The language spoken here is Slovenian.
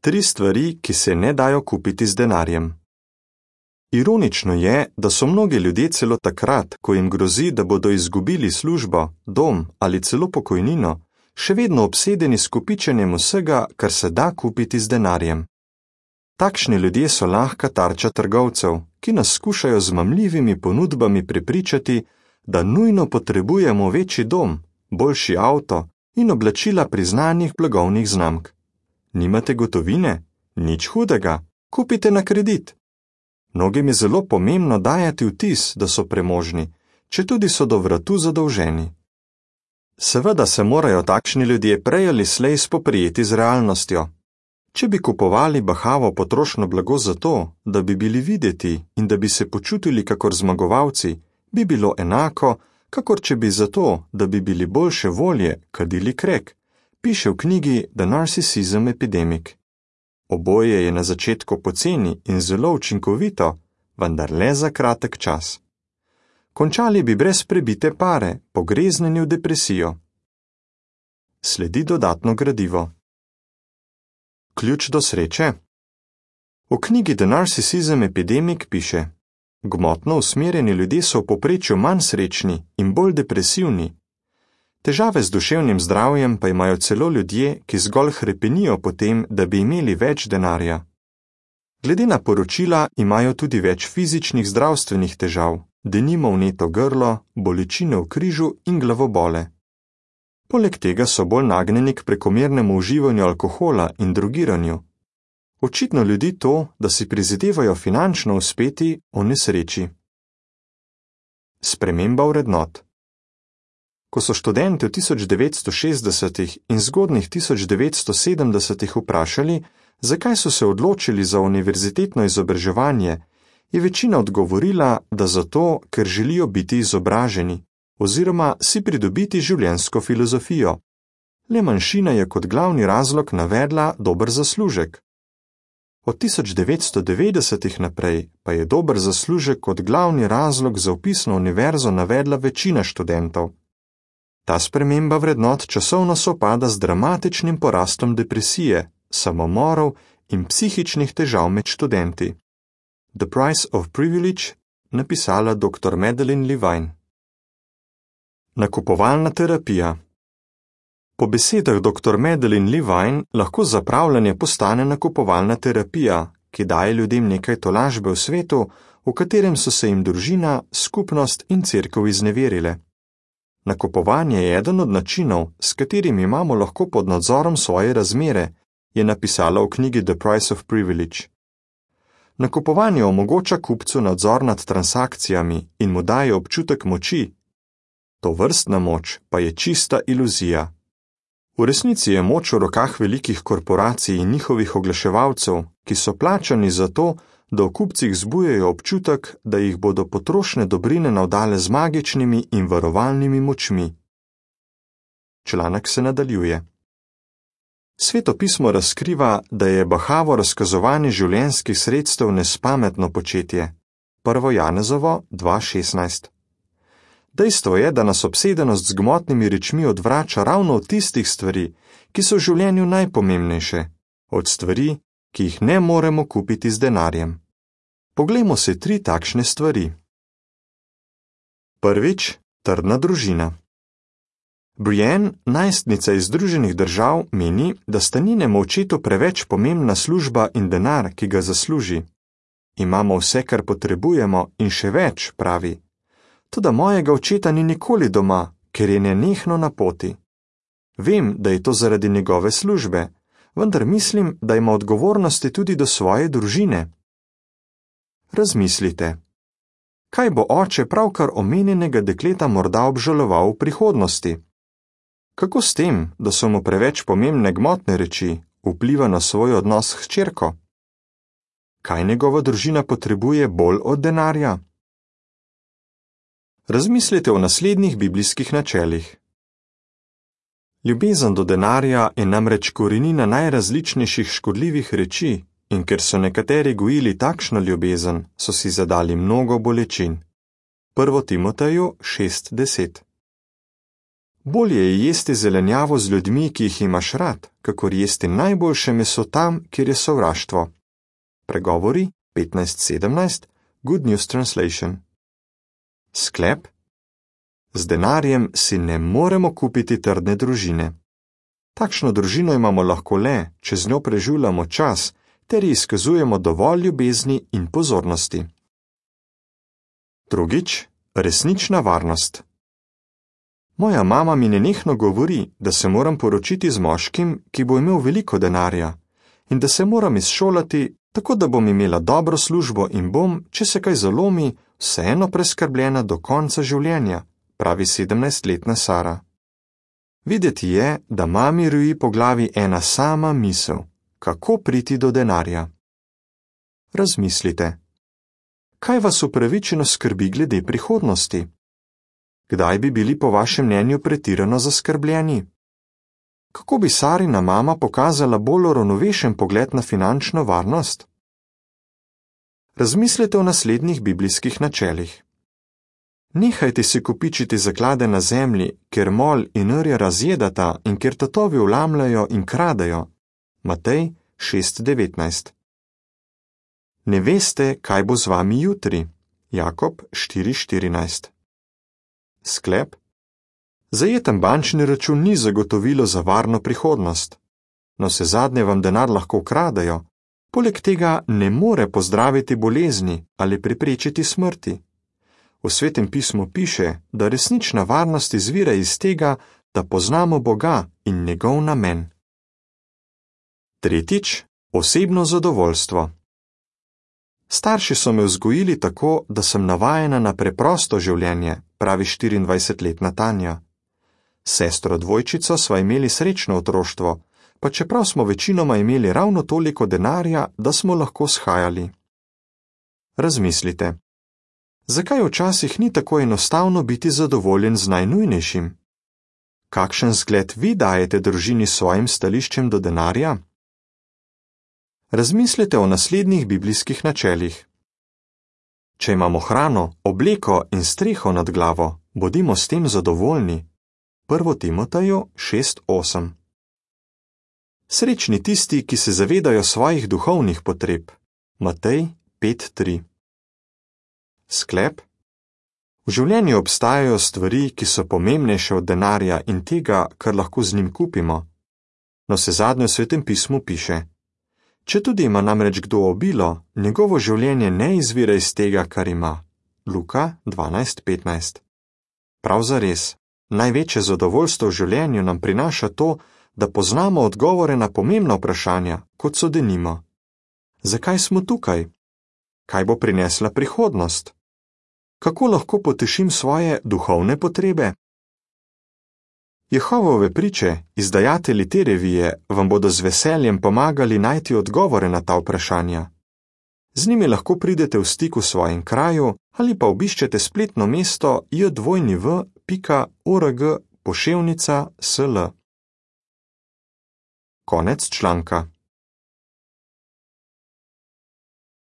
3 stvari, ki se ne dajo kupiti z denarjem. Ironično je, da so mnogi ljudje celo takrat, ko jim grozi, da bodo izgubili službo, dom ali celo pokojnino, še vedno obsedeni s kopičenjem vsega, kar se da kupiti z denarjem. Takšni ljudje so lahka tarča trgovcev, ki nas skušajo z mamljivimi ponudbami prepričati, da nujno potrebujemo večji dom, boljši avto in oblačila priznanih blagovnih znamk. Nimate gotovine? Nič hudega, kupite na kredit. Mnogim je zelo pomembno dajati vtis, da so premožni, četudi so do vratu zadolženi. Seveda se morajo takšni ljudje prej ali slej spoprijeti z realnostjo. Če bi kupovali bahavo potrošno blago zato, da bi bili videti in da bi se počutili kakor zmagovalci, bi bilo enako, kakor če bi zato, da bi bili boljše volje, kadili krek, piše v knjigi The Narcissism Epidemic. Oboje je na začetku poceni in zelo učinkovito, vendar le za kratek čas. Končali bi brez prebite pare, pogreznjeni v depresijo. Sledi dodatno gradivo. Ključ do sreče? V knjigi The Narcissism Epidemic piše: gmotno usmerjeni ljudje so v povprečju manj srečni in bolj depresivni. Težave z duševnim zdravjem pa imajo celo ljudje, ki zgolj hrepenijo po tem, da bi imeli več denarja. Glede na poročila imajo tudi več fizičnih zdravstvenih težav, denimo vneto grlo, bolečine v križu in glavobole. Poleg tega so bolj nagnjeni k prekomernemu uživanju alkohola in drogiranju. Očitno ljudi to, da si prizadevajo finančno uspeti, onesreči. Sprememba vrednot. Ko so študenti v 1960. in zgodnjih 1970. vprašali, zakaj so se odločili za univerzitetno izobraževanje, je večina odgovorila, da zato, ker želijo biti izobraženi oziroma si pridobiti življenjsko filozofijo. Le manjšina je kot glavni razlog navedla dober zaslužek. Od 1990. naprej pa je dober zaslužek kot glavni razlog za vpis na univerzo navedla večina študentov. Ta sprememba vrednot časovno sovpada z dramatičnim porastom depresije, samomorov in psihičnih težav med študenti. The Price of Privilege, napisala dr. Madeline Levine. Nakupovalna terapija. Po besedah dr. Madeline Levine lahko zapravljanje postane nakupovalna terapija, ki daje ljudem nekaj tolažbe v svetu, v katerem so se jim družina, skupnost in cerkev izneverile. Nakupovanje je eden od načinov, s katerim imamo lahko pod nadzorom svoje razmere, je napisala v knjigi The Price of Privilege. Nakupovanje omogoča kupcu nadzor nad transakcijami in mu daje občutek moči. Tovrstna moč pa je čista iluzija. V resnici je moč v rokah velikih korporacij in njihovih oglaševalcev, ki so plačani za to, da v kupcih zbujajo občutek, da jih bodo potrošne dobrine navdale z magičnimi in varovalnimi močmi. Članek se nadaljuje. Sveto pismo razkriva, da je bahavo razkazovanje življenjskih sredstev nespametno početje. 1. Janezovo 2:16. Dejstvo je, da nas obsedenost z gmotnimi rečmi odvrača ravno od tistih stvari, ki so v življenju najpomembnejše, od stvari, ki jih ne moremo kupiti z denarjem. Poglejmo se 3 takšne stvari. Prvič, trdna družina. Brienne, najstnica iz Združenih držav, meni, da sta njenemu očetu preveč pomembna služba in denar, ki ga zasluži. Imamo vse, kar potrebujemo in še več, pravi. Toda mojega očeta ni nikoli doma, ker je nenehno na poti. Vem, da je to zaradi njegove službe, vendar mislim, da ima odgovornosti tudi do svoje družine. Razmislite. Kaj bo oče pravkar omenjenega dekleta morda obžaloval v prihodnosti? Kako s tem, da so mu preveč pomembne gmotne reči, vpliva na svoj odnos s hčerko? Kaj njegova družina potrebuje bolj od denarja? Razmislite o naslednjih biblijskih načelih. Ljubezen do denarja je namreč korenina najrazličnejših škodljivih reči, in ker so nekateri gojili takšno ljubezen, so si zadali mnogo bolečin. 1. Timoteju 6:10. Bolje je jesti zelenjavo z ljudmi, ki jih imaš rad, kakor jesti najboljše meso tam, kjer je sovraštvo. Pregovori 15:17, Good News Translation. Sklep: z denarjem si ne moremo kupiti trdne družine. Takšno družino imamo lahko le, če z njo preživljamo čas, ter ji izkazujemo dovolj ljubezni in pozornosti. Drugič, resnična varnost. Moja mama mi nenehno govori, da se moram poročiti z moškim, ki bo imel veliko denarja, in da se moram izšolati, tako da bom imela dobro službo in bom, če se kaj zalomi, vseeno preskrbljena do konca življenja, pravi 17-letna Sara. Videti je, da mami roji po glavi ena sama misel, kako priti do denarja. Razmislite. Kaj vas upravičeno skrbi glede prihodnosti? Kdaj bi bili po vašem mnenju pretirano zaskrbljeni? Kako bi Sarina mama pokazala bolj uravnovešen pogled na finančno varnost? Razmislite o naslednjih biblijskih načelih. Nehajte si kopičiti zaklade na zemlji, kjer mol in rja razjedata in kjer tatovi vlamljajo in kradejo. Matej 6:19. Ne veste, kaj bo z vami jutri. Jakob 4:14. Sklep: zajeten bančni račun ni zagotovilo za varno prihodnost. Navsezadnje vam denar lahko ukradejo, poleg tega ne more pozdraviti bolezni ali preprečiti smrti. V Svetem pismu piše, da resnična varnost izvira iz tega, da poznamo Boga in njegov namen. Tretjič, osebno zadovoljstvo. Starši so me vzgojili tako, da sem navajena na preprosto življenje, pravi 24-letna Tanja. Sestro dvojčico sva imeli srečno otroštvo, pa čeprav smo večinoma imeli ravno toliko denarja, da smo lahko shajali. Razmislite. Zakaj včasih ni tako enostavno biti zadovoljen z najnujnejšim? Kakšen zgled vi dajete družini s svojim stališčem do denarja? Razmislite o naslednjih biblijskih načelih. Če imamo hrano, obleko in streho nad glavo, bodimo s tem zadovoljni. 1. Timoteju 6:8. Srečni tisti, ki se zavedajo svojih duhovnih potreb. Matej 5:3. Sklep: v življenju obstajajo stvari, ki so pomembnejše od denarja in tega, kar lahko z njim kupimo. Navsezadnje v Svetem pismu piše: četudi ima namreč kdo obilo, njegovo življenje ne izvira iz tega, kar ima. Luka 12:15. Prav zares, največje zadovoljstvo v življenju nam prinaša to, da poznamo odgovore na pomembna vprašanja, kot so denimo: zakaj smo tukaj? Kaj bo prinesla prihodnost? Kako lahko potešim svoje duhovne potrebe? Jehovove priče, izdajatelji te revije, vam bodo z veseljem pomagali najti odgovore na ta vprašanja. Z njimi lahko pridete v stik v svojem kraju ali pa obiščete spletno mesto jw.org/sl. Konec članka.